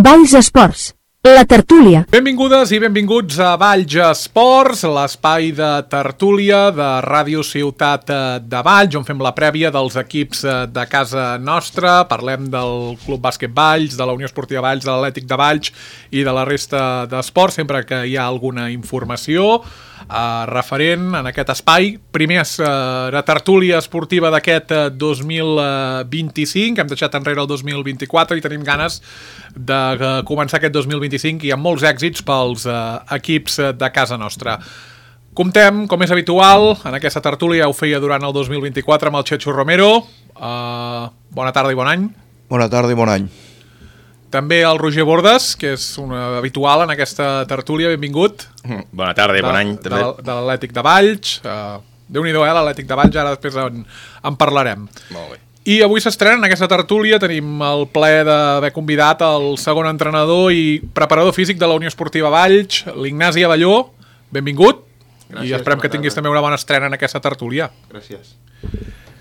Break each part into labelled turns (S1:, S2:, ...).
S1: Valls Esports, la tertúlia.
S2: Benvingudes i benvinguts a Valls Esports, l'espai de tertúlia de Ràdio Ciutat de Valls, on fem la prèvia dels equips de casa nostra. Parlem del Club Bàsquet Valls, de la Unió Esportiva Valls, de l'Atlètic de Valls i de la resta d'esports, sempre que hi ha alguna informació referent en aquest espai. Primer és la tertúlia esportiva d'aquest 2025, hem deixat enrere el 2024 i tenim ganes de començar aquest 2025 i amb molts èxits pels equips de casa nostra. Comptem, com és habitual, en aquesta tertúlia, ho feia durant el 2024 amb el Chechu Romero. Bona tarda i bon any.
S3: Bona tarda i bon any.
S2: També el Roger Bordes, que és un habitual en aquesta tertúlia, benvingut.
S4: Bona tarda i bon any.
S2: De l'Atlètic de Valls. Déu-n'hi-do, l'Atlètic de Valls, ara després en parlarem.
S4: Molt bé.
S2: I avui s'estrena en aquesta tertúlia, tenim el plaer d'haver convidat el segon entrenador i preparador físic de la Unió Esportiva Valls, l'Ignasi Abelló. Benvingut. Gràcies, i esperem que tinguis també una bona estrena en aquesta tertúlia.
S4: Gràcies.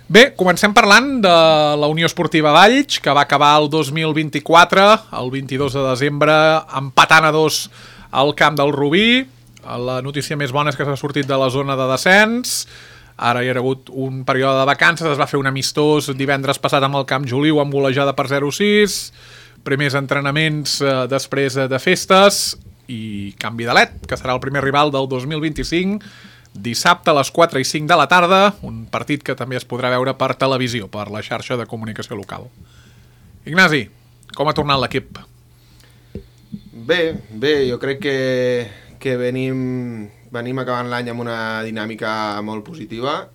S2: Bé, comencem parlant de la Unió Esportiva Valls, que va acabar el 2024, el 22 de desembre, empatant a 2 al camp del Rubí. La notícia més bona és que s'ha sortit de la zona de descens. Ara hi ha hagut un període de vacances, es va fer un amistós divendres passat amb el Camp Joliu amb golejada per 0-6, primers entrenaments després de festes i canvi de led, que serà el primer rival del 2025, dissabte a les 4 i 5 de la tarda, un partit que també es podrà veure per televisió, per la xarxa de comunicació local. Ignasi, com ha tornat l'equip?
S5: Bé, jo crec que venim acabant l'any amb una dinàmica molt positiva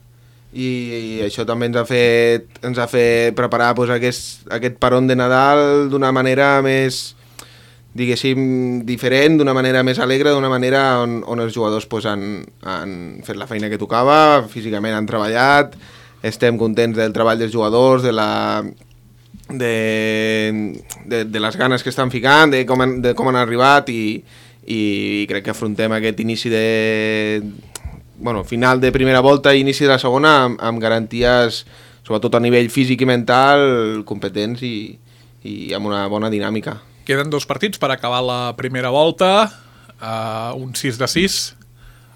S5: i això també ens ha fet preparar aquest peron de Nadal d'una manera més, diguéssim, diferent, d'una manera més alegre, d'una manera on els jugadors han fet la feina que tocava, físicament han treballat, estem contents del treball dels jugadors, de les ganes que estan ficant, de com han arribat i crec que afrontem aquest inici final de primera volta i inici de la segona amb garanties, sobretot a nivell físic i mental, competents i amb una bona dinàmica.
S2: Queden 2 partits per acabar la primera volta, un 6-6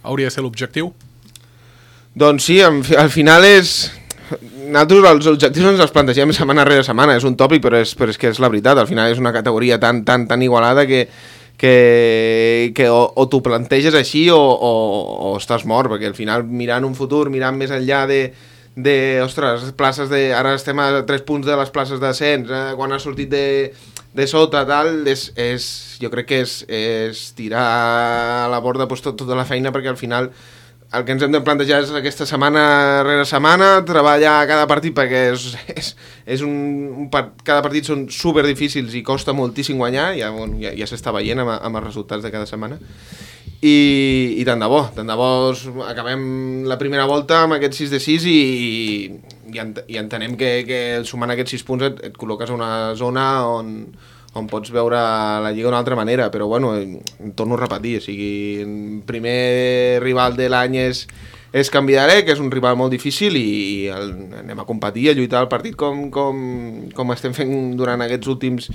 S2: hauria de ser l'objectiu.
S5: Doncs sí, al final nosaltres els objectius ens els plantegem setmana rere setmana, és un tòpic però és que és la veritat, al final és una categoria tan igualada que o t'ho planteges així o estàs mort, perquè al final mirant un futur, mirant més enllà ostres, places ara estem a 3 punts de les places d'ascens, quan ha sortit de sota, tal, jo crec que és tirar a la borda tota la feina, perquè al final el que ens hem de plantejar és aquesta setmana rere setmana, treballar cada partit, perquè cada partit són super difícils i costa moltíssim guanyar, ja s'està veient amb els resultats de cada setmana. I tant de bo acabem la primera volta amb aquest 6-6 i entenem que sumant aquests 6 punts et col·loques a una zona on pots veure la Lliga d'una altra manera, però bueno, torno a repetir, o sigui, el primer rival de l'any és Canvidaré, que és un rival molt difícil i anem a competir, a lluitar el partit com estem fent durant aquests últims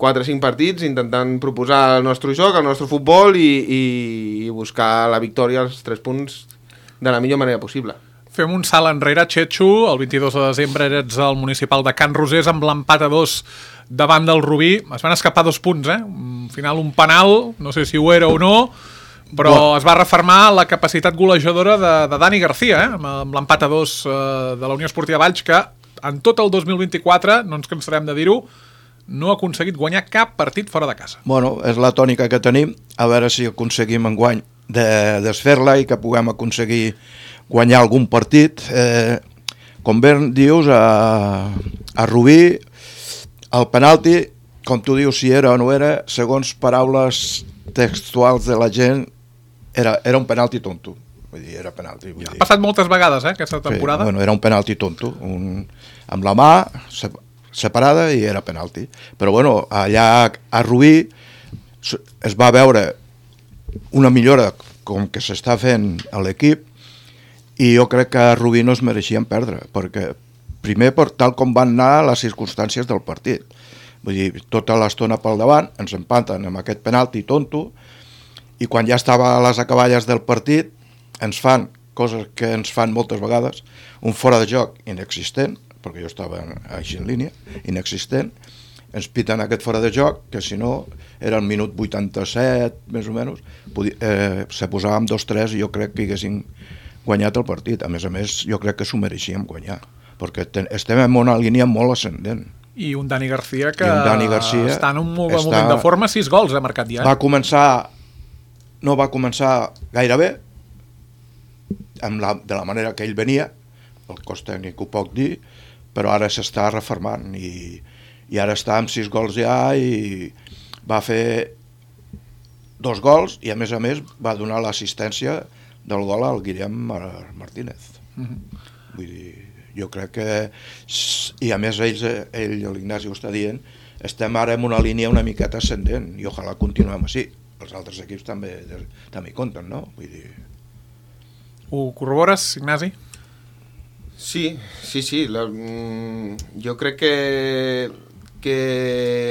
S5: 4 o 5 partits, intentant proposar el nostre joc, el nostre futbol i buscar la victòria, els 3 punts, de la millor manera possible.
S2: Fem un salt enrere, Chechu. El 22 de desembre eres al municipal de Can Rosés amb l'empat a 2 davant del Rubí. Es van escapar 2 punts, Al final un penal, no sé si ho era o no, però es va refermar la capacitat golejadora de Dani García, amb l'empat a 2 de la Unió Esportiva Valls, que en tot el 2024, no ens cansarem de dir-ho, no ha aconseguit guanyar cap partit fora de casa.
S3: Bueno, és la tònica que tenim, a veure si aconseguim enguany de desfer-la i que puguem aconseguir guanyar algun partit. Com bé dius, a Rubí, el penalti, com tu dius, si era o no era, segons paraules textuals de la gent, era un penalti tonto. Vull dir, era penalti.
S2: Ha passat moltes vegades, aquesta temporada.
S3: Sí, bueno, era un penalti tonto. Amb la mà separada i era penalti. Però bueno, allà a Rubí es va veure una millora com que s'està fent a l'equip i jo crec que a Rubí no es mereixien perdre, perquè primer per tal com van anar les circumstàncies del partit. Vull dir, tota l'estona pel davant, ens empaten amb aquest penalti tonto, i quan ja estava a les acaballes del partit, ens fan coses que ens fan moltes vegades, un fora de joc inexistent, perquè jo estava així en línia, inexistent, ens piten aquest fora de joc, que si no era el minut 87, més o menys, se posàvem 2-3 i jo crec que haguéssim guanyat el partit. A més, jo crec que s'ho mereixíem guanyar, perquè estem en una línia molt ascendent.
S2: I un Dani Garcia que està en un moment de forma, 6 gols ha marcat ja.
S3: No va començar gaire bé, de la manera que ell venia, el cos tècnic ho puc dir, però ara s'està reformant i ara està amb 6 gols ja i va fer 2 gols i a més va donar l'assistència del gol al Guillem Martínez. Vull dir, jo crec que, i a més l'Ignasi ho està dient, estem ara en una línia una miqueta ascendent i ojalà continuem així. Els altres equips també hi compten, no? Vull dir...
S2: Ho corrobores, Ignasi?
S5: Sí. Jo crec que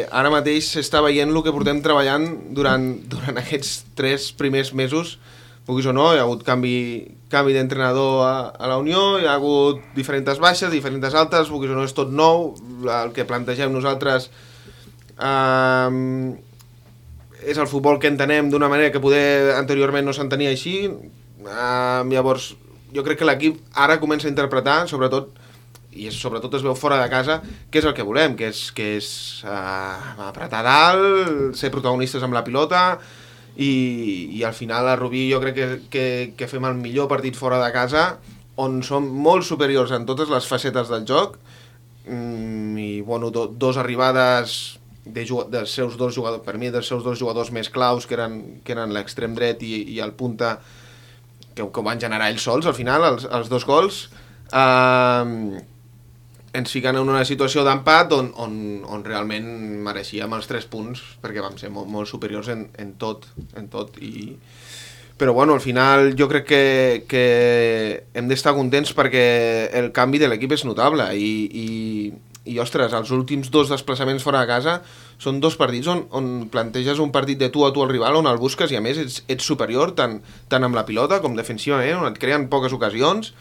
S5: ara mateix s'està veient el que portem treballant durant aquests 3 primers mesos, vulguis o no. Hi ha hagut canvi d'entrenador a la Unió, hi ha hagut diferents baixes, diferents altes, vulguis o no és tot nou. El que plantegem nosaltres és el futbol que entenem d'una manera que poder anteriorment no s'entenia així. Llavors jo crec que l'equip ara comença a interpretar, sobretot es veu fora de casa, què és el que volem, que és apretar dalt, ser protagonistes amb la pilota i al final a Rubí jo crec que fem el millor partit fora de casa, on som molt superiors en totes les facetes del joc i bueno, 2 arribades dels seus 2 jugadors, per mi dels seus 2 jugadors més claus, que eren l'extrem dret i el punta, que van generar ells sols al final, els 2 gols, ens fiquen en una situació d'empat on realment mereixíem els 3 punts, perquè vam ser molt, molt superiors en tot. Però bueno, al final jo crec que hem d'estar contents perquè el canvi de l'equip és notable i ostres, els últims 2 desplaçaments fora de casa són 2 partits on planteges un partit de tu a tu al rival, on el busques i a més ets superior tant amb la pilota com defensivament, on et creen poques ocasions.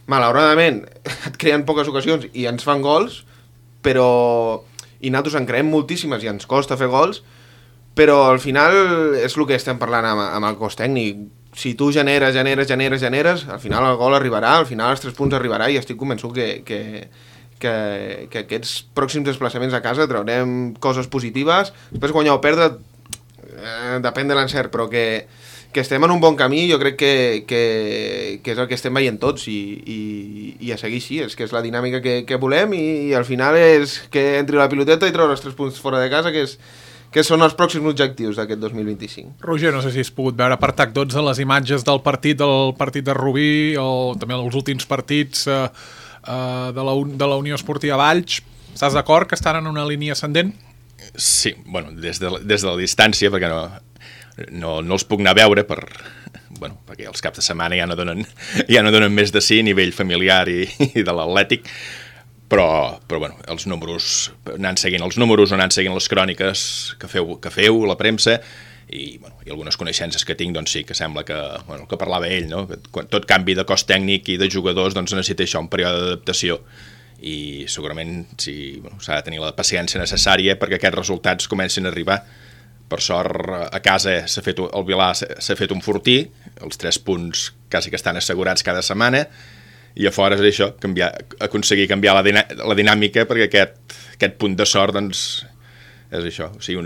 S5: Malauradament et creen poques ocasions i ens fan gols, i nosaltres en creem moltíssimes i ens costa fer gols, però al final és el que estem parlant amb el cos tècnic. Si tu generes, al final el gol arribarà, al final els 3 punts arribarà i estic convençut que aquests pròxims desplaçaments a casa traurem coses positives. Després guanyar o perdre depèn de l'encert, però que estem en un bon camí. Jo crec que és el que estem veient tots i a seguir així, és que és la dinàmica que volem i al final és que entri la piloteta i treure els 3 punts fora de casa, que són els pròxims objectius d'aquest 2025.
S2: Roger, no sé si has pogut veure per TAC 12 les imatges del partit de Rubí o també els últims partits de la Unió Esportiva Valls. Estàs d'acord que estan en una línia ascendent?
S4: Sí, bueno, des de la distància, perquè no els puc anar a veure perquè els caps de setmana ja no donen més de sí a nivell familiar i de l'Atlètic, però bueno, els números, anant seguint les cròniques que feu la premsa i algunes coneixences que tinc, doncs sí que sembla que, el que parlava ell, no? Que tot canvi de cos tècnic i de jugadors doncs necessita això, un període d'adaptació i segurament s'ha de tenir la paciència necessària perquè aquests resultats comencin a arribar. Per sort a casa el Vilà s'ha fet un fortí, els 3 punts quasi que estan assegurats cada setmana i a fora és això, aconseguir canviar la dinàmica perquè aquest punt de sort doncs és això, o sigui,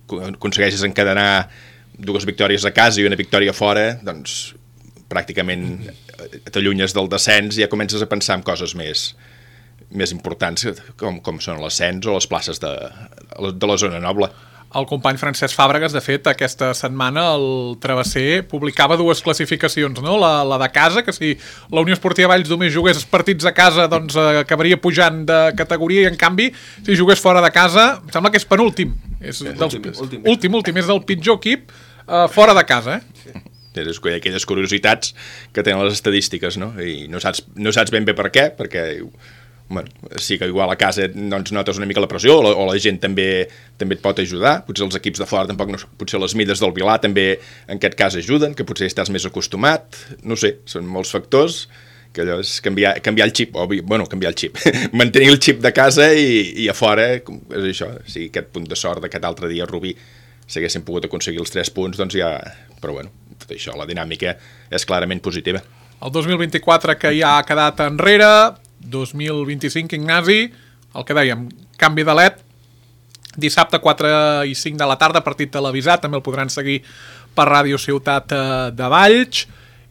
S4: aconsegueixes encadenar 2 victòries a casa i una victòria a fora, doncs pràcticament t'allunyes del descens i ja comences a pensar en coses més importants com són l'ascens o les places de la zona noble.
S2: El company Francesc Fàbregas, de fet, aquesta setmana el Travesser publicava 2 classificacions, no? La de casa, que si la Unió Esportiva Valls només jugués partits a casa, doncs acabaria pujant de categoria i, en canvi, si jugués fora de casa, em sembla que és penúltim. És últim, és del pitjor equip fora de casa,
S4: És aquelles curiositats que tenen les estadístiques, no? I no saps ben bé per què, perquè bueno, sí que igual a casa doncs, notes una mica la pressió, o la gent també et pot ajudar, potser els equips de fora tampoc, potser les mides del Vilar també en aquest cas ajuden, que potser estàs més acostumat, no sé, són molts factors, que allò és canviar el xip, canviar el xip, mantenir el xip de casa i a fora, és això, sí, aquest punt de sort d'aquest altre dia a Rubí, si haguéssim pogut aconseguir els 3 punts, doncs ja... Però bueno, tot això, la dinàmica és clarament positiva.
S2: El 2024 que ja ha quedat enrere, 2025, Ignasi, el que dèiem, canvi de LED, dissabte 4 i 5 de la tarda, partit televisat, també el podran seguir per Ràdio Ciutat de Valls,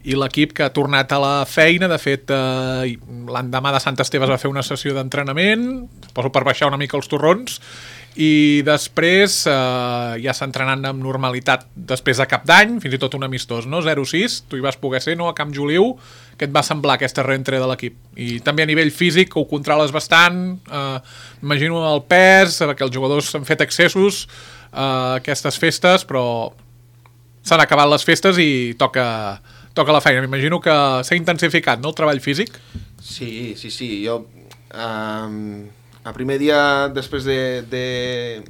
S2: i l'equip que ha tornat a la feina, de fet, l'endemà de Sant Esteve es va fer una sessió d'entrenament, suposo per baixar una mica els torrons, i després ja s'entrenant amb normalitat després de Cap d'Any, fins i tot un amistós, no? 0-6, tu hi vas poder ser, no? A Camp Joliu, què et va semblar aquesta reentrada de l'equip? I també a nivell físic, ho controles bastant, imagino el pes, que els jugadors han fet excessos aquestes festes, però s'han acabat les festes i toca la feina. M'imagino que s'ha intensificat, no?, el treball físic?
S5: Sí, jo... el primer dia després de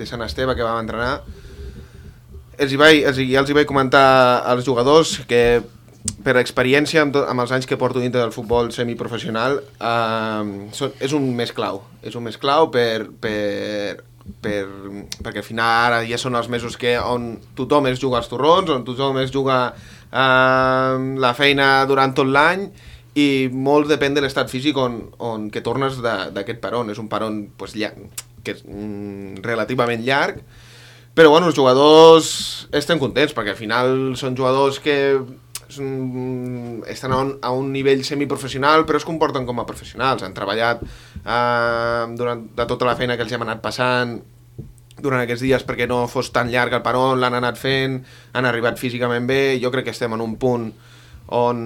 S5: Sant Esteve que vam entrenar, ja els hi vaig comentar als jugadors que per experiència amb els anys que porto dintre del futbol semiprofessional és un mes clau perquè al final ara ja són els mesos on tothom es juga als torrons, on tothom es juga la feina durant tot l'any, i molt depèn de l'estat físic on que tornes d'aquest peron. És un peron que és relativament llarg, però bueno, els jugadors estem contents perquè al final són jugadors que estan a un nivell semiprofessional però es comporten com a professionals, han treballat durant tota la feina que els hem anat passant durant aquests dies perquè no fos tan llarg el peron, l'han anat fent, han arribat físicament bé. Jo crec que estem en un punt on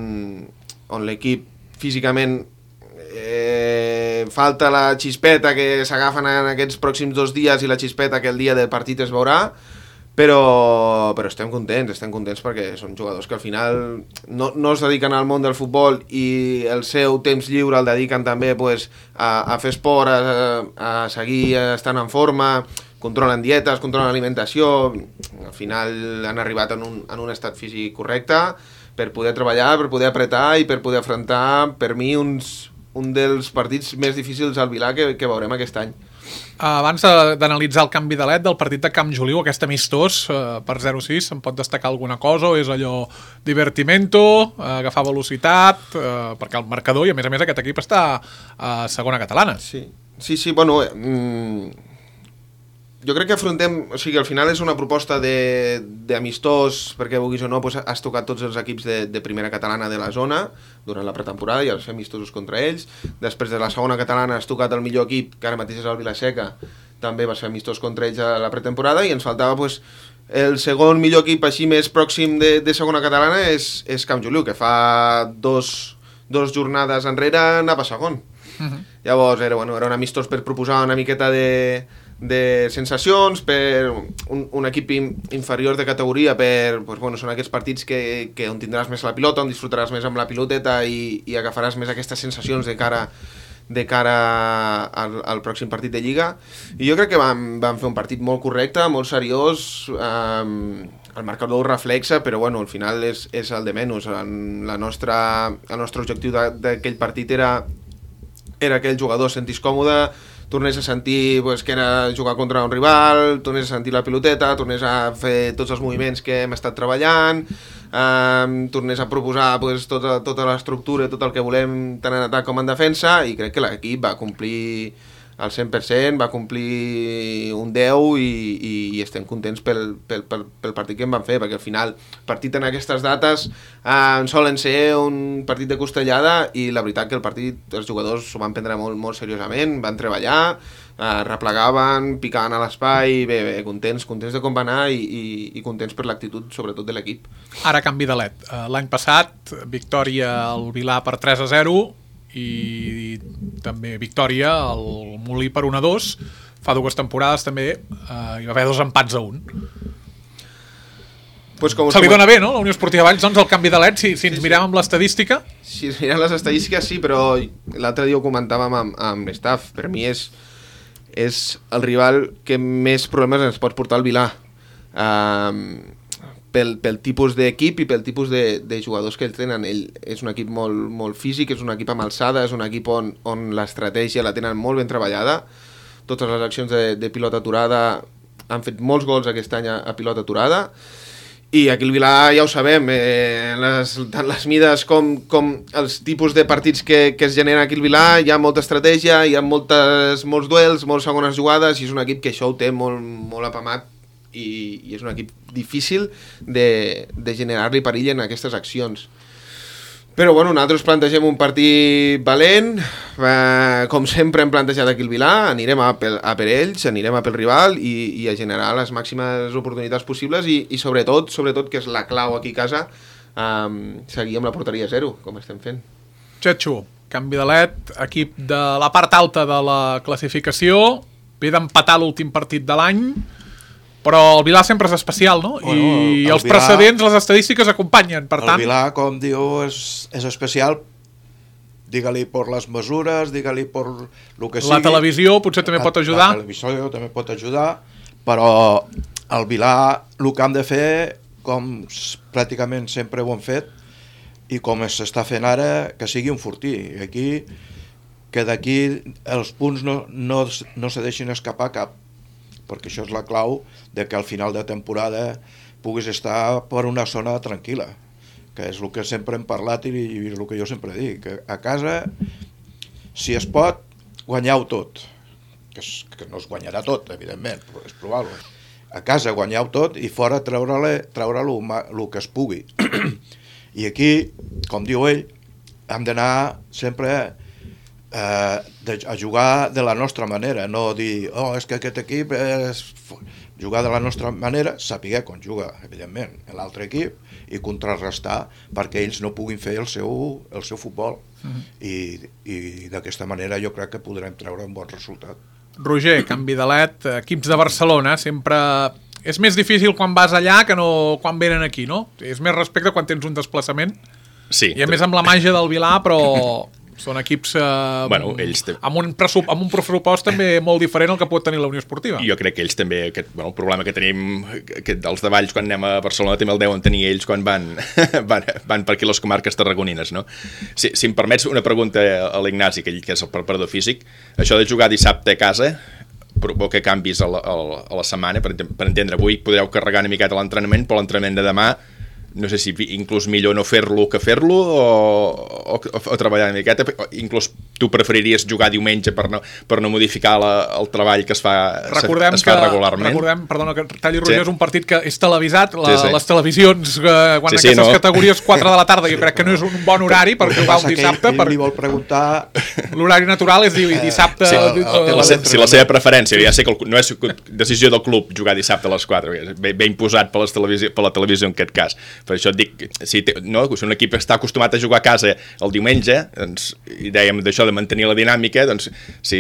S5: l'equip físicament falta la xispeta que s'agafen en aquests pròxims 2 dies i la xispeta que el dia del partit es veurà, però estem contents perquè són jugadors que al final no es dediquen al món del futbol i el seu temps lliure el dediquen també a fer esport, a seguir estant en forma, controlen dietes, controlen alimentació, al final han arribat en un estat físic correcte per poder treballar, per poder apretar i per poder afrontar, per mi, un dels partits més difícils al Vilar que veurem aquest any.
S2: Abans d'analitzar el canvi de LED del partit de Camp Joliu, aquest amistós per 0-6, se'n pot destacar alguna cosa o és allò divertimento, agafar velocitat, perquè el marcador, i a més aquest equip està a segona catalana.
S5: Sí, bueno... Jo crec que afrontem, o sigui, al final és una proposta d'amistós, perquè vulguis o no, has tocat tots els equips de primera catalana de la zona durant la pretemporada i els fer amistosos contra ells. Després de la segona catalana has tocat el millor equip, que ara mateix és el Vilaseca, també vas fer amistós contra ells a la pretemporada, i ens faltava el segon millor equip així més pròxim de segona catalana és Camp Joliu, que fa dos jornades enrere anava segon. Llavors era un amistós per proposar una miqueta de sensacions per un equip inferior de categoria, són aquests partits on tindràs més la pilota, on disfrutaràs més amb la piloteta i agafaràs més aquestes sensacions de cara al pròxim partit de Lliga. I jo crec que vam fer un partit molt correcte, molt seriós, el marcador ho reflexa, però al final és el de menys. El nostre objectiu d'aquell partit era que el jugador es sentís còmode, tornés a sentir que era jugar contra un rival, tornés a sentir la piloteta, tornés a fer tots els moviments que hem estat treballant, tornés a proposar tota l'estructura, tot el que volem tant en atac com en defensa, i crec que l'equip va complir al 100%, va complir un 10 i estem contents pel partit que em van fer, perquè al final el partit en aquestes dates solen ser un partit de costellada, i la veritat que el partit els jugadors s'ho van prendre molt, molt seriosament, van treballar, replegaven, picaven a l'espai, bé, contents de com va anar i contents per l'actitud sobretot de l'equip.
S2: Ara canvi de LED. L'any passat, victòria al Vilar per 3-0, i també victòria al Molí per 1-2. Fa 2 temporades també hi va haver 2 empats a 1.
S5: Pues com
S2: Se li dona bé, no? La Unió Esportiva Valls, doncs, el canvi de LED, si ens mirem amb l'estadística.
S5: Si es miren les estadístiques, sí, però l'altre dia ho comentàvem amb l'staff. Per mi és el rival que més problemes ens pot portar al Vilà. Pel tipus d'equip i pel tipus de jugadors que ells tenen. Ell és un equip molt físic, és un equip amb alçada, és un equip on l'estratègia la tenen molt ben treballada. Totes les accions de pilota aturada han fet molts gols aquest any a pilota aturada. I aquí el Vilà ja ho sabem, tant les mides com els tipus de partits que es generen aquí al Vilà, hi ha molta estratègia, hi ha molts duels, moltes segones jugades, i és un equip que això ho té molt apamat i és un equip difícil de generar-li perill en aquestes accions. Però bueno, nosaltres plantegem un partit valent, com sempre hem plantejat aquí al Vilà, anirem a per ells, anirem a pel rival i a generar les màximes oportunitats possibles i sobretot, que és la clau aquí a casa, seguir amb la porteria 0, com estem fent.
S2: Txetxo, canvi de LED, equip de la part alta de la classificació, ve d'empatar l'últim partit de l'any, però el Vilà sempre és especial, no?
S3: Bueno,
S2: I els precedents, les estadístiques acompanyen, per tant...
S3: El Vilà, com diu, és especial, digue-li per les mesures, digue-li per el que sigui.
S2: La televisió potser també pot ajudar.
S3: La televisió també pot ajudar, però el Vilà el que hem de fer, com pràcticament sempre ho hem fet, i com s'està fent ara, que sigui un fortí. Aquí, que d'aquí els punts no se deixin escapar cap, perquè això és la clau de que al final de temporada puguis estar per una zona tranquil·la, que és el que sempre hem parlat i el que jo sempre dic, que a casa, si es pot, guanyeu tot, que no es guanyarà tot, evidentment, però és probable. A casa guanyeu tot i fora treure-lo el que es pugui. I aquí, com diu ell, hem d'anar sempre a jugar de la nostra manera, no dir, és que aquest equip és... Jugar de la nostra manera, saber com juga, evidentment, l'altre equip, i contrarrestar perquè ells no puguin fer el seu futbol. I d'aquesta manera jo crec que podrem treure un bon resultat.
S2: Roger, canvi de LED, equips de Barcelona, sempre... És més difícil quan vas allà que no quan venen aquí, no? És més respecte quan tens un desplaçament.
S4: Sí.
S2: I a més amb la màgia del Vilà, però... Són equips
S4: bueno, ells
S2: amb un pressupost també molt diferent al que pot tenir la Unió Esportiva.
S4: Jo crec que ells també, el problema que tenim dels de Valls quan anem a Barcelona també el deuen tenir ells quan van per aquí les comarques tarragonines, no? Si em permets una pregunta a l'Ignasi, que és el preparador físic, això de jugar dissabte a casa provoca canvis a la setmana, per entendre, avui podreu carregar una miqueta l'entrenament, però l'entrenament de demà no sé si inclús millor no fer-lo que fer-lo o treballar una miqueta. Inclús tu preferiries jugar diumenge per no modificar el treball que es fa regularment.
S2: Recordem, perdona que talli Roger, és un partit que és televisat,
S4: sí.
S2: Les televisions, quan aquestes categories 4 de la tarda, jo crec que no és un bon horari per jugar un dissabte.
S3: Ell li vol preguntar...
S2: L'horari natural és dissabte...
S4: Si la seva preferència, ja sé que no és decisió del club jugar dissabte a les 4, ve imposat per la televisió en aquest cas. Per això et dic, si un equip està acostumat a jugar a casa el diumenge, doncs, i dèiem d'això de mantenir la dinàmica, doncs, si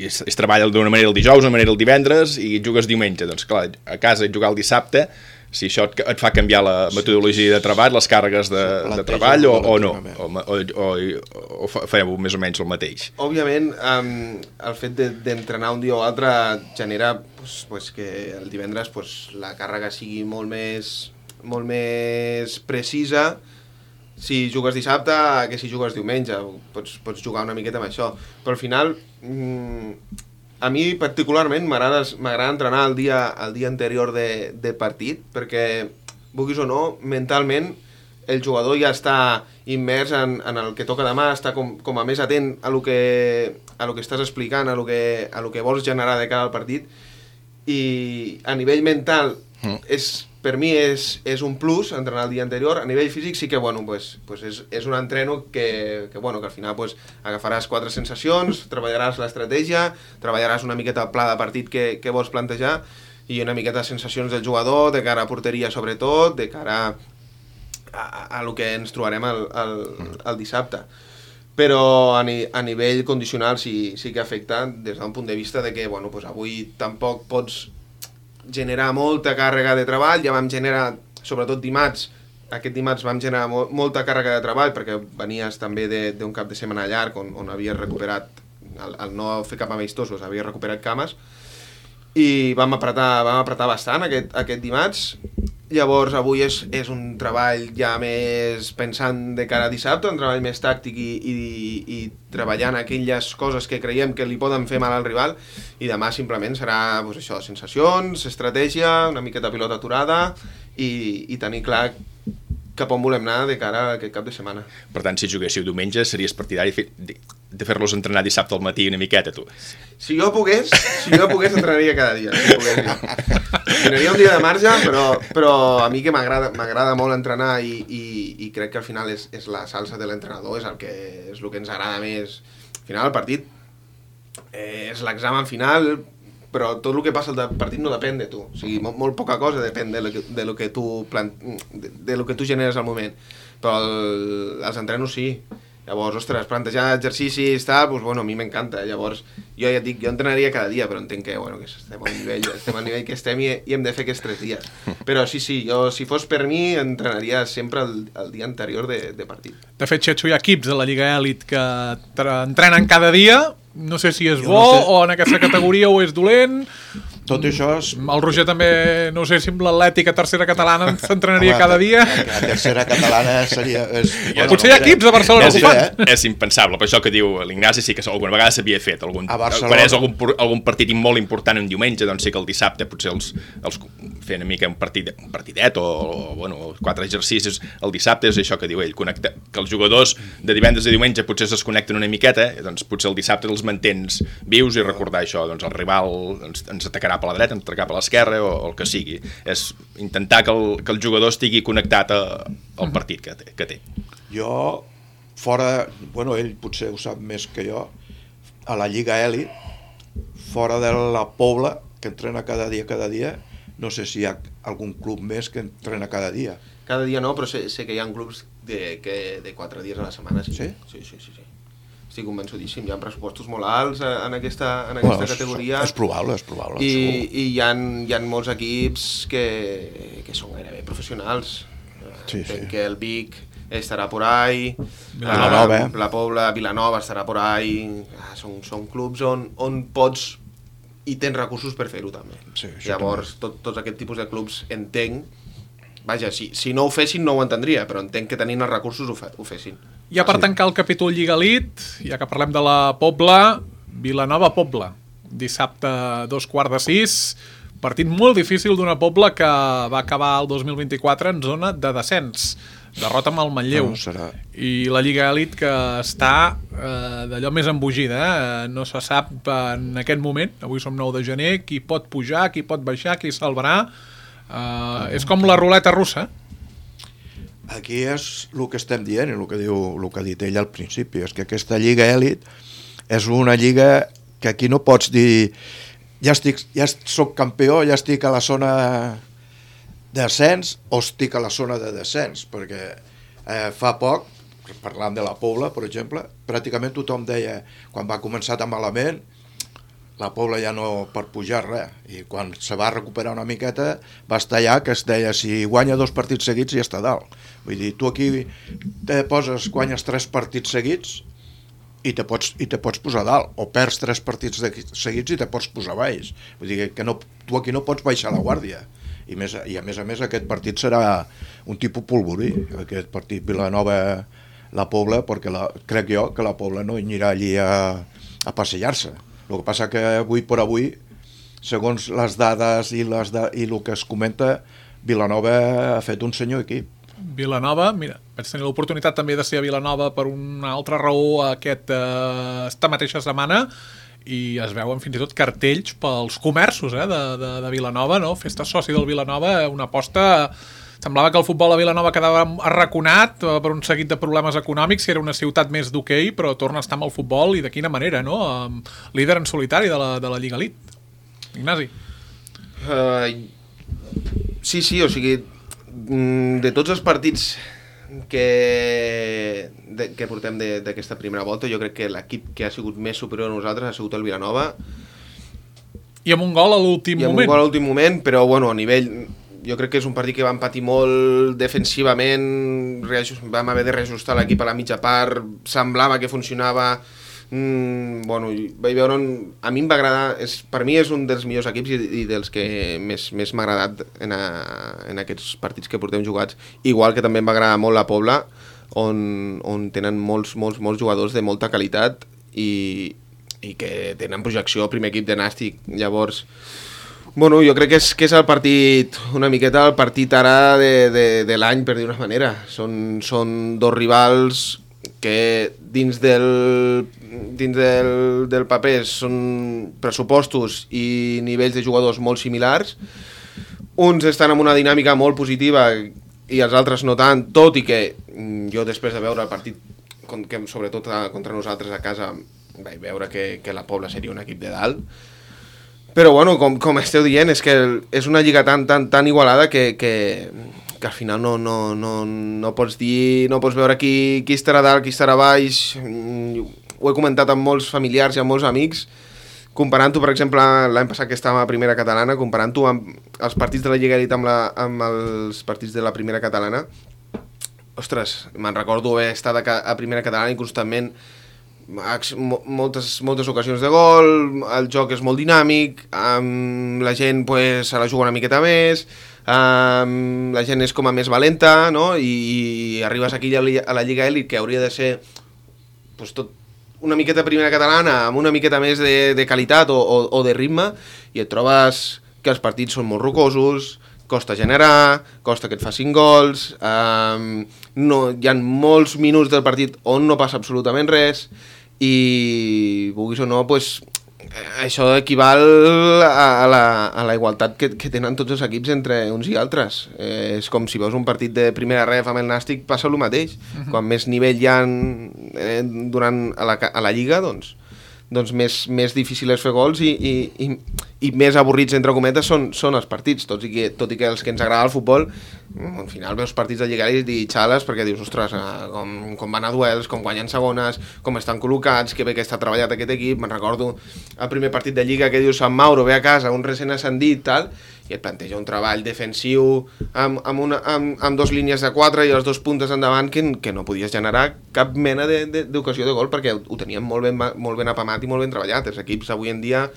S4: es treballa d'una manera el dijous, d'una manera el divendres, i jugues diumenge, doncs clar, a casa jugar el dissabte, si això et fa canviar la metodologia de treball, les càrregues de treball o no, o fareu més o menys el mateix.
S5: Òbviament, el fet d'entrenar un dia o altre genera que el divendres la càrrega sigui molt més precisa si jugues dissabte que si jugues diumenge. Pots jugar una miqueta amb això, però al final a mi particularment m'agrada entrenar el dia anterior de partit, perquè vulguis o no, mentalment el jugador ja està immers en el que toca demà, està com a més atent a lo que estàs explicant, a lo que vols generar de cara al partit, i a nivell mental per mi és un plus entrenar el dia anterior. A nivell físic sí que és un entreno que al final agafaràs 4 sensacions, treballaràs l'estratègia, treballaràs una miqueta el pla de partit que vols plantejar i una miqueta de sensacions del jugador, de cara a porteria sobretot, de cara a lo que ens trobarem el dissabte. Però a nivell condicional sí que afecta des d'un punt de vista de que avui tampoc pots generar molta càrrega de treball. Ja vam generar sobretot dimarts, aquest dimarts vam generar molta càrrega de treball perquè venies també d'un cap de setmana llarg on havies recuperat, al no fer cap amistosos, havies recuperat cames, i vam apretar bastant aquest dimarts. Llavors avui és un treball ja més pensant de cara a dissabte, un treball més tàctic i treballant aquelles coses que creiem que li poden fer mal al rival, i demà simplement serà doncs això, sensacions, estratègia, una miqueta pilota aturada i tenir clar cap on volem anar de cara a aquest cap de setmana.
S4: Per tant, si juguéssiu diumenge, series partidari de fer-los entrenar dissabte al matí una miqueta, tu?
S5: Si jo pogués entrenaria cada dia. Si pogués, tindria un dia de marge, però a mi que m'agrada molt entrenar i crec que al final és la salsa de l'entrenador, és el que ens agrada més. Al final el partit és l'examen final, però tot el que passa al partit no depèn de tu. O sigui, molt poca cosa depèn de lo que tu generes al moment. Però els entrenos sí. Llavors, ostres, plantejar exercicis, tal, doncs, bueno, a mi m'encanta. Llavors, jo ja et dic, jo entrenaria cada dia, però entenc que estem al nivell que estem i hem de fer aquests 3 dies. Però sí, jo, si fos per mi, entrenaria sempre el dia anterior de partit.
S2: De fet, Xetxo, hi ha equips de la Lliga Elit que entrenen cada dia. No sé si és bo o en aquesta categoria o és dolent.
S3: Tot això és...
S2: El Roger també, no sé si amb l'Atlètica tercera catalana s'entrenaria cada dia.
S3: La tercera catalana seria...
S2: Potser hi ha equips a Barcelona que ho fan.
S4: És impensable, per això que diu l'Ignasi sí que alguna vegada s'havia fet. Quan és algun partit molt important un diumenge, doncs sí que el dissabte potser els fer una mica un partidet o 4 exercicis el dissabte, és això que diu ell, que els jugadors de divendres a diumenge potser es desconnecten una miqueta, doncs potser el dissabte els mantens vius i recordar això, doncs el rival ens atacarà per la dreta, ens atacarà per l'esquerra o el que sigui. És intentar que el jugador estigui connectat al partit que té.
S3: Jo, fora... Bueno, ell potser ho sap més que jo, a la Lliga Elit, fora de la Pobla, que entrena cada dia, no sé si hi ha algun club més que entrena cada dia.
S5: Cada dia no, però sé que hi ha clubs de 4 dies a la setmana. Sí? Sí. Estic convençudíssim, hi ha pressupostos molt alts en aquesta categoria.
S3: És probable.
S5: I hi ha molts equips que són gairebé professionals. Entenc que el Vic estarà por ahí, la Pobla, Vilanova estarà por ahí. Són clubs on pots i tens recursos per fer-ho també. Llavors, tots aquest tipus de clubs entenc. Vaja, si no ho fessin no ho entendria, però entenc que tenint els recursos ho fessin.
S2: Ja per tancar el capítol Lliga Elit, ja que parlem de la Pobla, Vilanova-Pobla, dissabte 5:15, partit molt difícil d'una Pobla que va acabar el 2024 en zona de descens, derrota amb el Manlleu, i la Lliga Elit que està d'allò més embogida, no se sap en aquest moment, avui som 9 de gener, qui pot pujar, qui pot baixar, qui salvarà. És com la ruleta russa.
S3: Aquí és el que estem dient i el que ha dit ell al principi, és que aquesta Lliga Elit és una lliga que aquí no pots dir ja soc campió, ja estic a la zona d'ascens o estic a la zona de descens, perquè fa poc, parlant de la Pobla, per exemple, pràcticament tothom deia, quan va començar tan malament, la Pobla ja no per pujar res, i quan se va recuperar una miqueta va estar allà que es deia si guanya 2 partits seguits ja està dalt. Vull dir, tu aquí guanyes 3 partits seguits i te pots posar dalt, o perds 3 partits seguits i te pots posar baix. Vull dir que tu aquí no pots baixar la guàrdia. I a més aquest partit serà un tipus polvorí, aquest partit Vilanova-la Pobla, perquè crec jo que la Pobla no anirà allí a passejar-se. El que passa que avui per avui, segons les dades i el que es comenta, Vilanova ha fet un senyor equip.
S2: Vilanova, mira, vaig tenir l'oportunitat també de ser a Vilanova per una altra raó esta mateixa setmana, i es veuen fins i tot cartells pels comerços de Vilanova, no? Festa soci del Vilanova, una aposta... Semblava que el futbol a Vilanova quedava arraconat per un seguit de problemes econòmics, si era una ciutat més d'hoquei, però torna a estar amb el futbol, i de quina manera, no? Líder en solitari de la Lliga Elit. Ignasi.
S5: Sí, o sigui, de tots els partits que portem d'aquesta primera volta, jo crec que l'equip que ha sigut més superior a nosaltres ha sigut el Vilanova.
S2: I amb un gol a l'últim moment.
S5: Però bueno, a nivell... jo crec que és un partit que vam patir molt defensivament, vam haver de reajustar l'equip a la mitja part, semblava que funcionava, bueno, vaig veure a mi em va agradar, per mi és un dels millors equips i dels que més m'ha agradat en aquests partits que portem jugats, igual que també em va agradar molt la Pobla, on tenen molts jugadors de molta qualitat i que tenen projecció primer equip de Nàstic. Llavors, bueno, jo crec que és el partit, una miqueta el partit ara de l'any, per dir una manera. Són dos rivals que dins del paper són pressupostos i nivells de jugadors molt similars. Uns estan en una dinàmica molt positiva i els altres no tant, tot i que jo després de veure el partit, sobretot contra nosaltres a casa, vaig veure que la Pobla seria un equip de dalt. Però bueno, com esteu dient, és que és una lliga tan igualada que al final no pots dir, no pots veure qui estarà dalt, qui estarà baix. Ho he comentat amb molts familiars i amb molts amics, comparant-ho, per exemple, l'any passat que estàvem a Primera Catalana, comparant-ho amb els partits de la Lliga Elite amb els partits de la Primera Catalana. Ostres, me'n recordo haver estat a Primera Catalana i constantment moltes ocasions de gol, el joc és molt dinàmic, la gent pues, se la juga una miqueta més, la gent és com a més valenta, no? I arribes aquí a la Lliga Elite, que hauria de ser pues, tot una miqueta Primera Catalana amb una miqueta més de qualitat o de ritme, i et trobes que els partits són molt rocosos, costa generar, costa que et facin gols, hi ha molts minuts del partit on no passa absolutament res, i vulguis o no, pues, això equival a la igualtat que tenen tots els equips entre uns i altres. És com si veus un partit de primera ref amb el Nàstic, passa el mateix. Quan més nivell hi ha a la Lliga, doncs més difícil és fer gols i més avorrits, entre cometes, són els partits, tot i que els que ens agrada el futbol, al final veus partits de Lliga i xales perquè dius, ostres, com van a duels, com guanyen segones, com estan col·locats, que bé que està treballat aquest equip. Me'n recordo el primer partit de Lliga que diu Sant Mauro ve a casa, un recent ascendit, tal, i et planteja un treball defensiu amb dos línies de 4 i els dos puntes endavant que no podies generar cap mena d'ocasió de gol perquè ho tenien molt ben apamat i molt ben treballat. Els equips avui en dia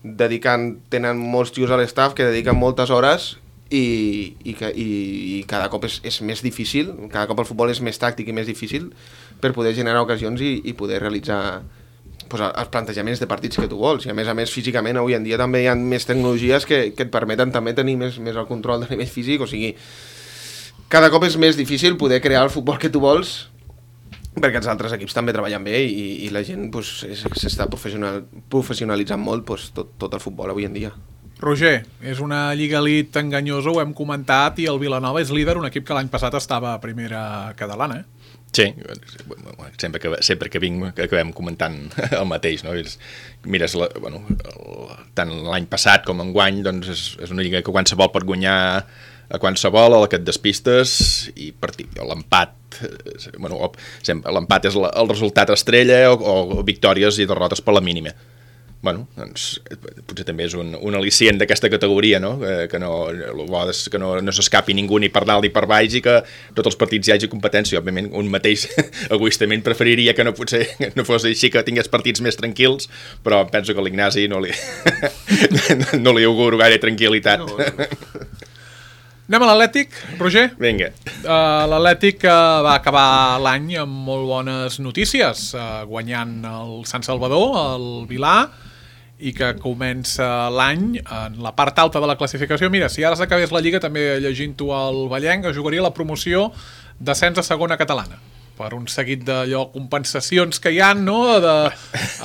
S5: tenen molts tios a l'estaf que dediquen moltes hores i cada cop és més difícil, cada cop el futbol és més tàctic i més difícil per poder generar ocasions i poder realitzar pues, els plantejaments de partits que tu vols. I a més físicament avui en dia també hi ha més tecnologies que et permeten també tenir més el control de nivell físic, o sigui, cada cop és més difícil poder crear el futbol que tu vols perquè els altres equips també treballen bé i la gent pues, s'està professionalitzant molt pues, tot el futbol avui en dia.
S2: Roger, és una Lliga Elite enganyosa, ho hem comentat, i el Vilanova és líder, un equip que l'any passat estava a Primera Catalana,
S4: Sí, sempre que vinc acabem comentant el mateix, no? Mires, tant l'any passat com enguany, doncs és una lliga que qualsevol pot guanyar a qualsevol, a la que et despistes, i l'empat, l'empat és el resultat estrella o victòries i derrotes per la mínima. Doncs potser també és un al·licient d'aquesta categoria, no? Que no s'escapi ningú ni per dalt ni per baix i que tots els partits hi hagi competència. Òbviament, un mateix egoistament preferiria que no fos així, que tingués partits més tranquils, però penso que l'Ignasi no li auguro gaire tranquil·litat. No.
S2: Anem a l'Atlètic, Roger?
S4: Vinga.
S2: L'Atlètic va acabar l'any amb molt bones notícies, guanyant el Sant Salvador, el Vilà, i que comença l'any en la part alta de la classificació. Mira, si ara s'acabés la Lliga, també llegint-ho al Vallenc, jugaria la promoció d'ascens a segona catalana, per un seguit d'allò compensacions que hi ha, no?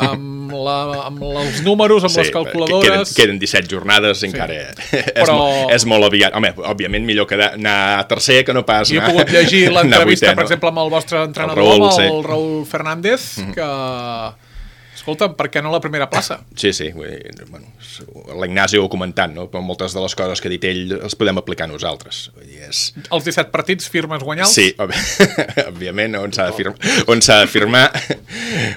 S2: Amb els números, amb les calculadores...
S4: Queden 17 jornades, encara és molt aviat. Home, òbviament millor que anar a tercer que no pas anar...
S2: Jo he pogut llegir l'entrevista, per exemple, amb el vostre entrenador, el Raúl Fernández, que... Escolta, per què no la primera plaça?
S4: Sí, l'Ignasi ho ha comentat, no? Però moltes de les coses que ha dit ell les podem aplicar nosaltres.
S2: Els 17 partits firmes guanyals?
S4: Sí, òbviament, on s'ha de firmar.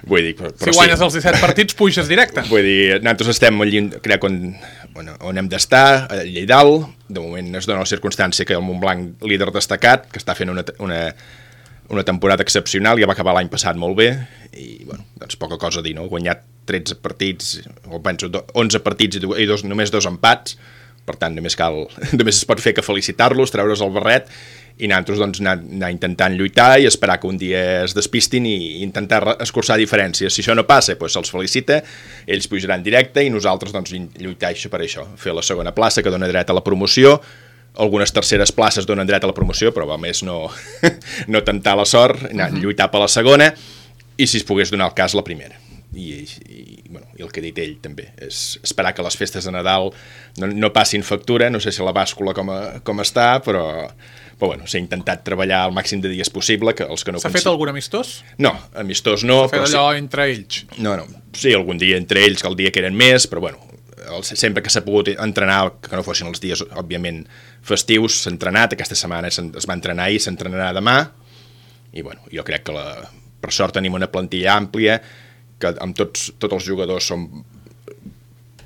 S4: Vull dir, però
S2: si guanyes els 17 partits, puges directe.
S4: Vull dir, nosaltres estem crec on hem d'estar, a Lleidal. De moment es dona la circumstància que el Montblanc, líder destacat, que està fent una temporada excepcional, ja va acabar l'any passat molt bé, i bueno, doncs poca cosa a dir, no? Ha guanyat 13 partits, o penso 11 partits i només 2 empats, per tant només es pot fer que felicitar-los, treure's el barret, i nosaltres doncs, anar intentant lluitar i esperar que un dia es despistin i intentar escurçar diferències. Si això no passa, doncs se'ls felicita, ells pujaran directe i nosaltres doncs, lluitar per això, fer la segona plaça que dona dret a la promoció. Algunes terceres places donen dret a la promoció, però va més no tentar la sort, lluitar per la segona, i si es pogués donar el cas la primera. I el que ha dit ell també és esperar que les festes de Nadal no passin factura. No sé si la bàscula com està, però bueno, s'ha intentat treballar el màxim de dies possible, que els que no...
S2: S'ha fet algun amistós?
S4: No, amistós no.
S2: S'ha fet allò entre ells?
S4: No, sí, algun dia entre ells, que el dia que eren més, però bueno, sempre que s'ha pogut entrenar, que no fossin els dies, òbviament, festius, s'ha entrenat. Aquesta setmana es va entrenar ahir, s'entrenarà demà, i bueno, jo crec que per sort tenim una plantilla àmplia, que amb tots els jugadors són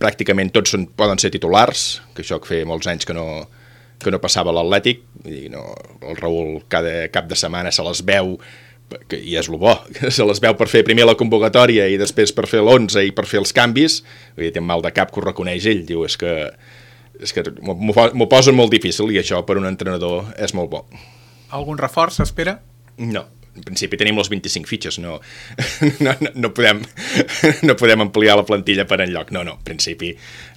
S4: pràcticament tots poden ser titulars, que això que feia molts anys que no passava a l'Atlètic, i el Raül cada cap de setmana se les veu, i és el bo, que se les veu per fer primer la convocatòria i després per fer l'11 i per fer els canvis. Vull dir, té un mal de cap que ho reconeix ell, diu, és que m'ho posen molt difícil, i això per un entrenador és molt bo.
S2: Algun reforç s'espera?
S4: No. En principi tenim les 25 fitxes, no podem ampliar la plantilla per enlloc. No, en principi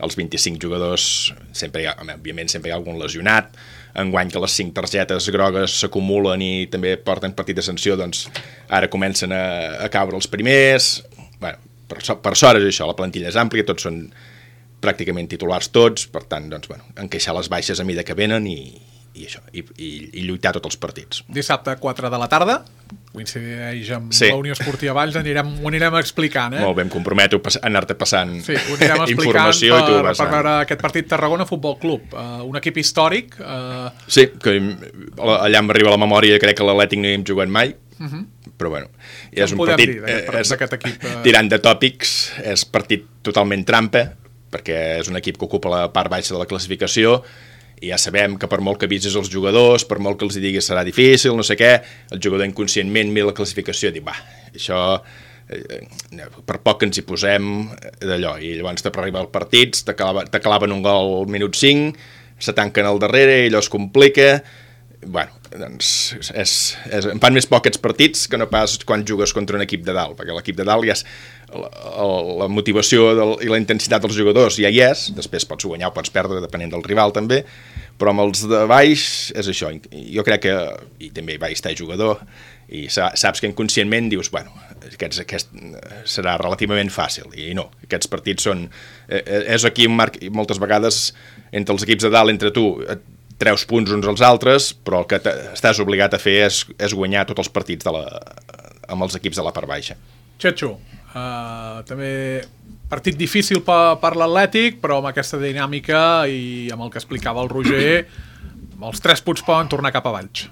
S4: els 25 jugadors, òbviament sempre hi ha algun lesionat. Enguany que les 5 targetes grogues s'acumulen i també porten partit de sanció, doncs ara comencen a caure els primers. Bueno, per sort és això, la plantilla és àmplia, tots són pràcticament titulars tots, per tant, doncs, bueno, encaixar les baixes a mida que venen i lluitar tots els partits.
S2: Dissabte 4 de la tarda, coincideix amb la Unió Esportiva Valls, ho anirem explicant.
S4: Molt bé, em comprometo a anar-te passant
S2: ho anirem
S4: informació
S2: per veure aquest partit Tarragona Futbol Club, un equip històric.
S4: Sí, que allà em arriba a la memòria, crec que l'Atlètic no hi hem jugat mai, però bueno, és un partit tirant de tòpics, és partit totalment trampa, perquè és un equip que ocupa la part baixa de la classificació, i ja sabem que per molt que avisis els jugadors, per molt que els diguis serà difícil, no sé què, el jugador inconscientment mira la classificació i diu, això, per poc que ens hi posem d'allò, i llavors per arribar al partit, t'aclaven un gol al minut 5, se tanquen al darrere i allò es complica. Bueno, doncs em fan més por aquests partits que no pas quan jugues contra un equip de dalt, perquè l'equip de dalt ja és la motivació i la intensitat dels jugadors ja hi és, després pots guanyar o pots perdre depenent del rival també, però amb els de baix és això. Jo crec que, i també vaig estar jugador, i saps que inconscientment dius, bueno, aquest serà relativament fàcil, i no, aquests partits són, és aquí un marc, moltes vegades entre els equips de dalt, entre tu, treus punts uns als altres, però el que estàs obligat a fer és guanyar tots els partits amb els equips de la part baixa.
S2: Txetxo, també partit difícil per l'Atlètic, però amb aquesta dinàmica i amb el que explicava el Roger, els 3 punts poden tornar cap a Valls.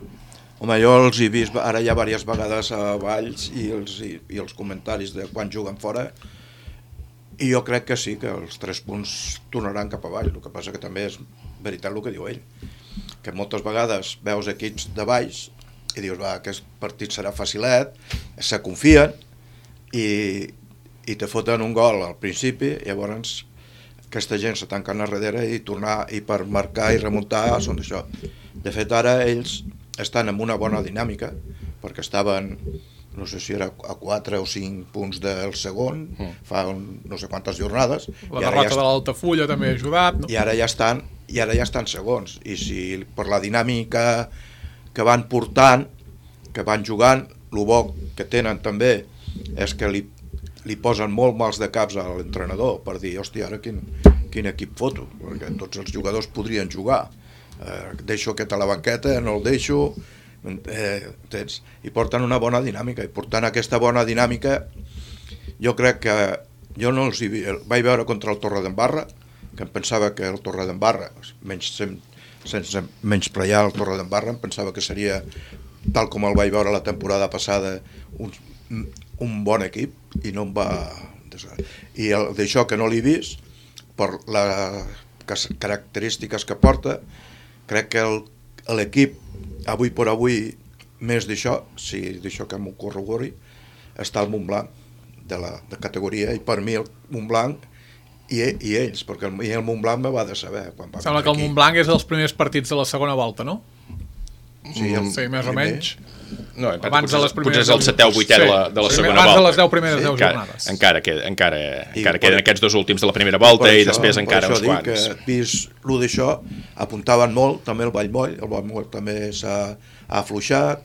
S3: Home, jo els he vist ara ja diverses vegades a Valls i els comentaris de quan juguen fora, i jo crec que sí, que els 3 punts tornaran cap a Valls. El que passa que també és veritat el que diu ell, que moltes vegades veus equips de baix i dius, aquest partit serà facilet, se confien i te foten un gol al principi, llavors aquesta gent se tanquen a darrere i tornar, i per marcar i remuntar són això. De fet, ara ells estan en una bona dinàmica, perquè estaven, no sé si era a 4 o 5 punts del segon, fa no sé quantes jornades.
S2: La derrota de l'Altafulla també ha ajudat, no?
S3: I ara ja estan segons, i si per la dinàmica que van portant, que van jugant, el bo que tenen també és que li posen molt mals de caps a l'entrenador per dir, hòstia, ara quin equip foto, perquè tots els jugadors podrien jugar, deixo aquest a la banqueta, no el deixo, i porten una bona dinàmica, i portant aquesta bona dinàmica jo crec que jo no els vaig veure contra el Torredembarra, que em pensava que el Torredembarra, sense menysprear el Torredembarra, em pensava que seria, tal com el vaig veure la temporada passada, un bon equip, i no em va... I d'això que no l'he vist, per característiques que porta, crec que l'equip, avui per avui, més d'això, si d'això que m'ho corrobori, està el Montblanc de categoria, i per mi el Montblanc i ells, perquè el Montblanc me va de saber.
S2: Sembla que el Montblanc és dels primers partits de la segona volta, no?
S3: Sí,
S2: més o menys.
S4: No,
S2: abans de les primeres...
S4: potser és el 7è o 8è de la segona volta.
S2: Abans de les 10 primeres 10 jornades.
S4: Encara queden aquests 2 últims de la primera volta i després encara uns quants.
S3: Per això dic que, vist el d'això, apuntaven molt, també el Vallmoll també s'ha afluixat,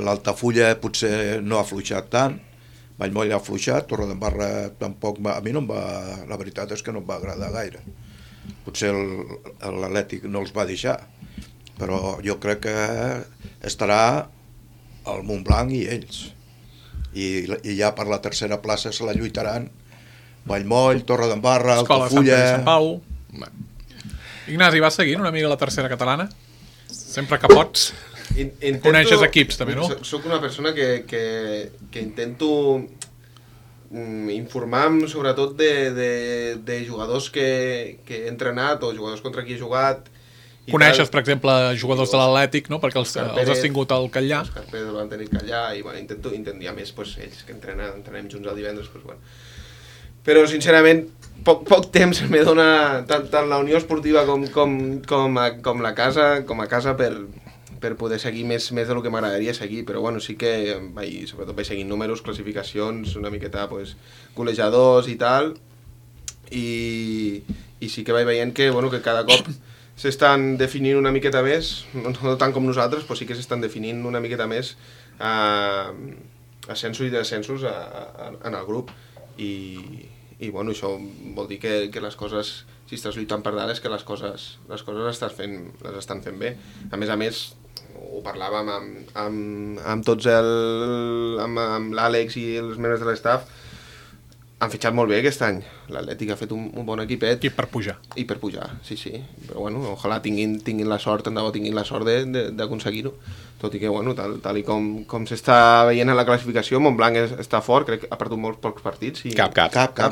S3: l'Altafulla potser no ha afluixat tant, Vallmoll ha afluixat, Torredembarra tampoc, a mi no em va, la veritat és que no em va agradar gaire. Potser l'Atlètic no els va deixar, però jo crec que estarà el Montblanc i ells. I ja per la tercera plaça se la lluitaran Vallmoll, Torredembarra, Altafulla...
S2: Sant Pau... Ignasi, vas seguint una mica la tercera catalana? Sempre que pots. Coneixes equips també, no?
S5: Soc una persona que intento informar-me sobretot de jugadors que he entrenat o jugadors contra qui he jugat.
S2: Coneixes, per exemple, jugadors de l'Atlètic, no? Perquè els has tingut al Catllà.
S5: Òscar Pérez el van tenir al Catllà i bueno, intento a més pues, ells que entrenem junts el divendres pues, bueno. Però sincerament poc temps me dona tant la Unió Esportiva com a casa per poder seguir més del que m'agradaria seguir, però bueno, sí que sobretot vaig seguint números, classificacions, una miqueta pues, golejadors i tal, i sí que vaig veient que, bueno, que cada cop s'estan definint una miqueta més, no tant com nosaltres, però sí que s'estan definint una miqueta més ascensos i descensos en el grup, i bueno, això vol dir que les coses, si estàs lluitant per dalt, és que les coses les estan fent bé. A més, ho parlàvem amb tots amb l'Àlex i els membres de l'estaf, han fitxat molt bé aquest any. L'Atlètic ha fet un bon equipet.
S2: I per pujar.
S5: I per pujar, sí. Però bueno, ojalà tinguin la sort, tant de bo tinguin la sort d'aconseguir-ho. Tot i que, bueno, tal i com s'està veient en la classificació, Montblanc està fort, crec que ha perdut molts pocs partits. I...
S3: Cap,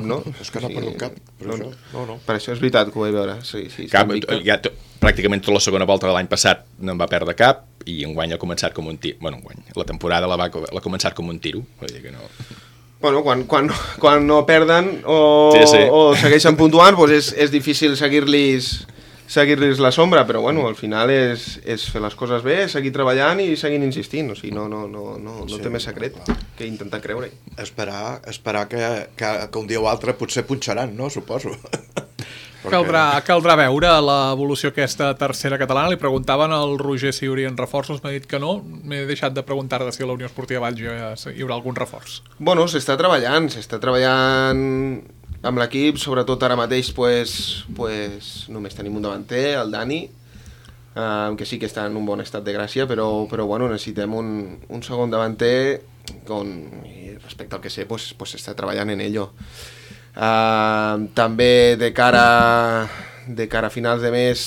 S5: no?
S3: És que no ha perdut cap. No.
S5: Per això és veritat que ho vaig veure. Sí,
S4: cap, pràcticament tota la segona volta de l'any passat no en va perdre cap, i enguany ha començat com un tiro. Bueno, enguany, la temporada l'ha començat com un tiro. Vull dir que no...
S5: Bueno, quan no perden o segueixen puntuant, doncs és difícil seguir-los la sombra, però bueno, al final és fer les coses bé, seguir treballant i seguir insistint, o sigui, no té més secret que intentar creure-hi.
S3: Esperar que un dia o altre potser punxaran, no? Suposo.
S2: Caldrà veure l'evolució aquesta tercera catalana. Li preguntaven al Roger si hi haurien reforços, m'ha dit que no. M'he deixat de preguntar si a la Unió Esportiva Valls hi haurà algun reforç. Bueno,
S5: s'està treballant amb l'equip, sobretot ara mateix pues, només tenim un davanter, el Dani, que sí que està en un bon estat de gràcia, però bueno, necessitem un segon davanter i respecte al que sé, pues s'està treballant en ello. També de cara a finals de mes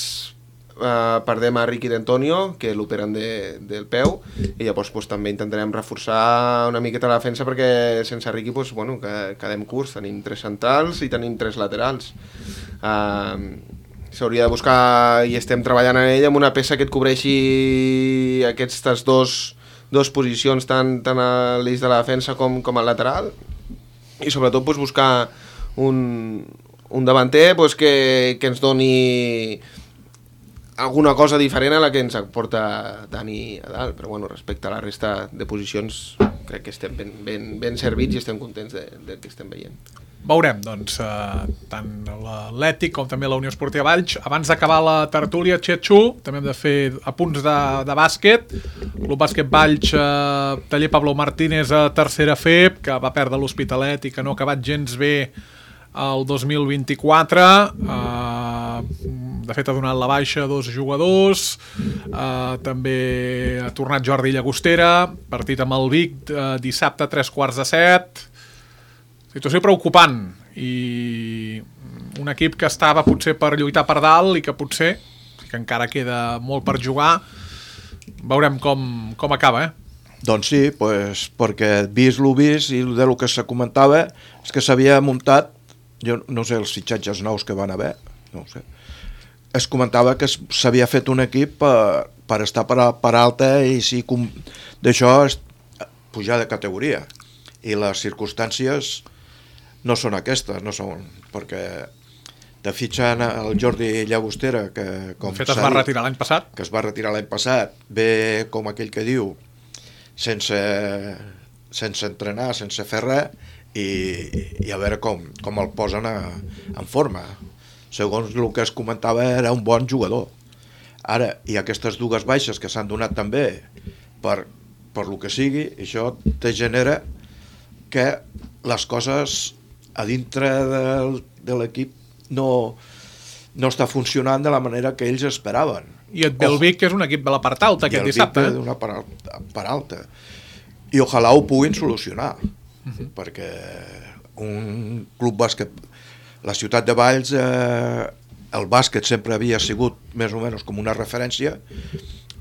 S5: perdem a Ricky d'Antonio, que l'operen del peu, i llavors també intentarem reforçar una miqueta la defensa, perquè sense Ricky bueno, quedem curts, tenim 3 centrals i tenim 3 laterals. S'hauria de buscar, i estem treballant en ella, amb una peça que et cobreixi aquestes dos posicions, tant a l'eix de la defensa com al lateral, i sobretot buscar un davanter que ens doni alguna cosa diferent a la que ens aporta Dani a dalt, però bueno, respecte a la resta de posicions crec que estem ben servits i estem contents del que estem veient.
S2: Veurem, doncs, tant l'Atlètic com també la Unió Esportiva Valls. Abans d'acabar la tertúlia, Txetxu, també hem de fer apunts de bàsquet. Club Bàsquet Valls, taller Pablo Martínez a tercera FEB, que va perdre l'Hospitalet i que no ha acabat gens bé el 2024. De fet, ha donat la baixa a 2 jugadors. També ha tornat Jordi Llagostera, partit amb el Vic dissabte a 3:15. Situació preocupant, i un equip que estava potser per lluitar per dalt i que potser, que encara queda molt per jugar. Veurem com acaba,
S3: Doncs sí, perquè vist i de lo que se comentava és que s'havia muntat, jo no sé els fitxatges nous que van haver, no ho sé. Es comentava que s'havia fet un equip per estar per alta i si d'això pujar de categoria. I les circumstàncies no són aquestes, no són, perquè de fitxar el Jordi Llagostera, que com
S2: es va retirar l'any passat.
S3: Que es va retirar l'any passat, ve com aquell que diu, sense entrenar, sense fer res, i a veure com el posen en forma. Segons el que es comentava, era un bon jugador. Ara, i aquestes dues baixes que s'han donat també per lo que sigui, això te genera que les coses a dintre de l'equip no està funcionant de la manera que ells esperaven.
S2: I et ve el Vic, que és un equip de la part alta aquest dissabte.
S3: I el Vic d'una part alta. I ojalà ho puguin solucionar, perquè un club bàsquet, la ciutat de Valls, el bàsquet sempre havia sigut més o menys com una referència,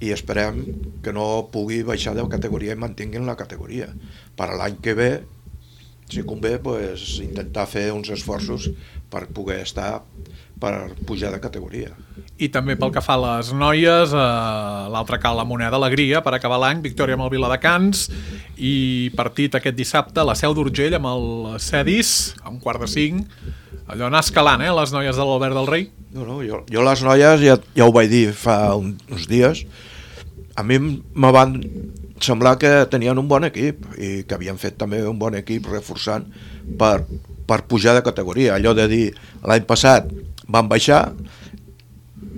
S3: i esperem que no pugui baixar de categoria i mantinguin la categoria. Per a l'any que ve, si convé, pues, intentar fer uns esforços per poder estar, per pujar de categoria.
S2: I també pel que fa a les noies, l'altre cal la Moneda Alegria per acabar l'any, victòria amb el Viladecans i partit aquest dissabte a la Seu d'Urgell amb el Cedis a 4:45. Allò anar escalant, les noies de l'Albert del Rei.
S3: No, jo les noies ja ho vaig dir fa uns dies. A mi me van semblar que tenien un bon equip i que havien fet també un bon equip reforçant per pujar de categoria. Allò de dir l'any passat van baixar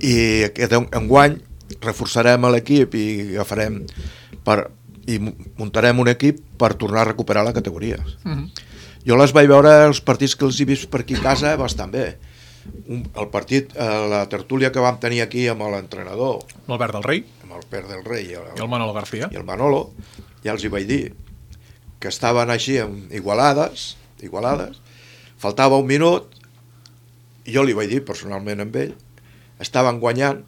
S3: i enguany reforçarem l'equip i agafarem i muntarem un equip per tornar a recuperar la categoria. Jo les vaig veure, els partits que els he vist per aquí a casa, bastant bé. El partit, la tertúlia que vam tenir aquí amb l'entrenador,
S2: l'Albert del Rei,
S3: amb el Pere del Rei
S2: i el Manolo García,
S3: i el Manolo, ja els hi vaig dir que estaven així igualades, faltava un minut, i jo li vaig dir personalment amb ell, estaven guanyant,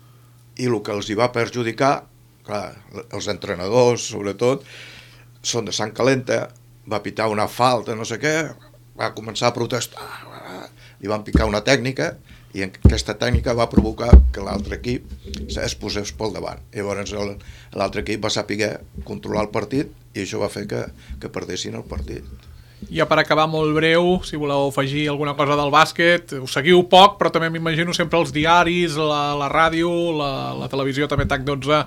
S3: i el que els hi va perjudicar, clar, els entrenadors sobretot són de sang calenta, va pitar una falta, no sé què, va començar a protestar, li van picar una tècnica i aquesta tècnica va provocar que l'altre equip es posés pel davant. Llavors l'altre equip va saber controlar el partit i això va fer que perdessin el partit.
S2: Ja per acabar molt breu, si voleu afegir alguna cosa del bàsquet, us seguiu poc, però també m'imagino sempre els diaris, la ràdio, la televisió també TAC12,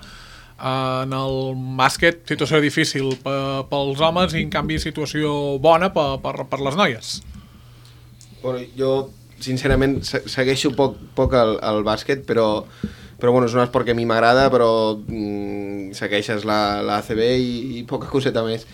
S2: en el bàsquet, situació difícil pels homes i en canvi situació bona per les noies.
S5: Bueno, jo sincerament segueixo poc el bàsquet, però bueno, és un esport que a mi m'agrada, però segueixes la ACB i poca coseta més.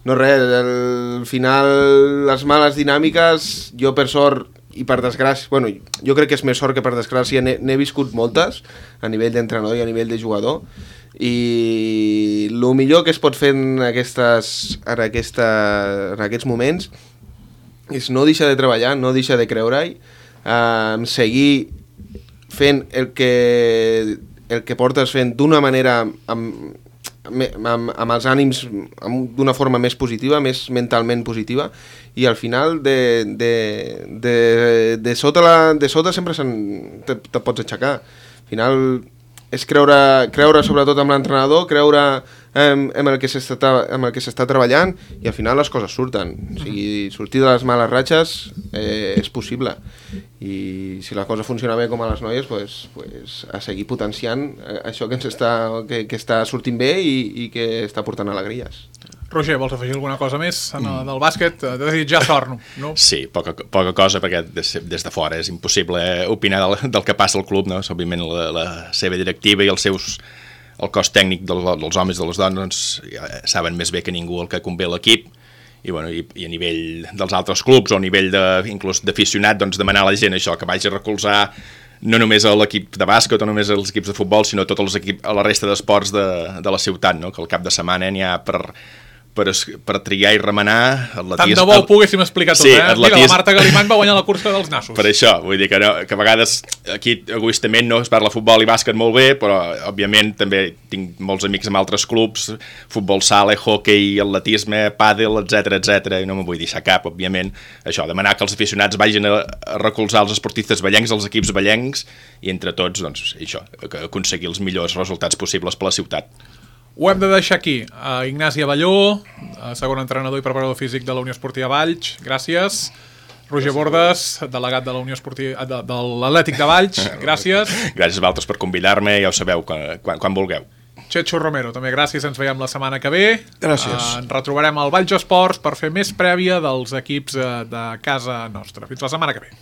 S5: No res, al final les males dinàmiques, jo per sort i per desgràcia, bueno, jo crec que és més sort que per desgràcia, n'he viscut moltes a nivell d'entrenador i a nivell de jugador, i el millor que es pot fer en aquests moments és no deixar de treballar, no deixar de creure-hi, seguir fent el que portes fent d'una manera amb els ànims d'una forma més positiva, més mentalment positiva, i al final de sota sempre te pots aixecar. Al final és creure sobretot amb l'entrenador, creure amb el que s'està treballant, i al final les coses surten. O sigui, sortir de les males ratxes és possible, i si la cosa funciona bé com a les noies, pues a seguir potenciant això que està sortint bé i que està portant alegries.
S2: Roger, vols afegir alguna cosa més del bàsquet? T'he desitjar sort, no?
S4: Sí, poca cosa, perquè des de fora és impossible opinar del que passa al club, no? Òbviament la seva directiva i el cos tècnic dels homes i de les dones ja saben més bé que ningú el que convé a l'equip, i a nivell dels altres clubs o a nivell inclús d'aficionat, doncs demanar a la gent això, que vagi a recolzar no només a l'equip de bàsquet o només als equips de futbol, sinó a tots els equips, a la resta d'esports de la ciutat, no? Que al cap de setmana n'hi ha per per triar i remenar
S2: tant de bo ho poguéssim explicar tot,
S4: sí,
S2: Mira, la Marta Galimany va guanyar la cursa dels nassos.
S4: Per això, vull dir que, no, que a vegades aquí egoistament no es parla futbol i bàsquet molt bé, però òbviament també tinc molts amics amb altres clubs, futbol sala, hockey, atletisme, pàdel, etc i no me'n vull deixar cap, òbviament. Això, demanar que els aficionats vagin a recolzar els esportistes ballencs, els equips ballencs, i entre tots, doncs, això, aconseguir els millors resultats possibles per la ciutat.
S2: Ho hem de deixar aquí. Ignasi Abelló, segon entrenador i preparador físic de la Unió Esportiva Valls, gràcies. Roger Bordes, delegat de la Unió Esportiva de l'Atlètic de Valls, gràcies.
S4: Gràcies a vosaltres per convidar-me, ja ho sabeu, quan vulgueu.
S2: Checho Romero, també gràcies, ens veiem la setmana que ve.
S3: Gràcies.
S2: Ens retrobarem al Valls Esports per fer més prèvia dels equips de casa nostra. Fins la setmana que ve.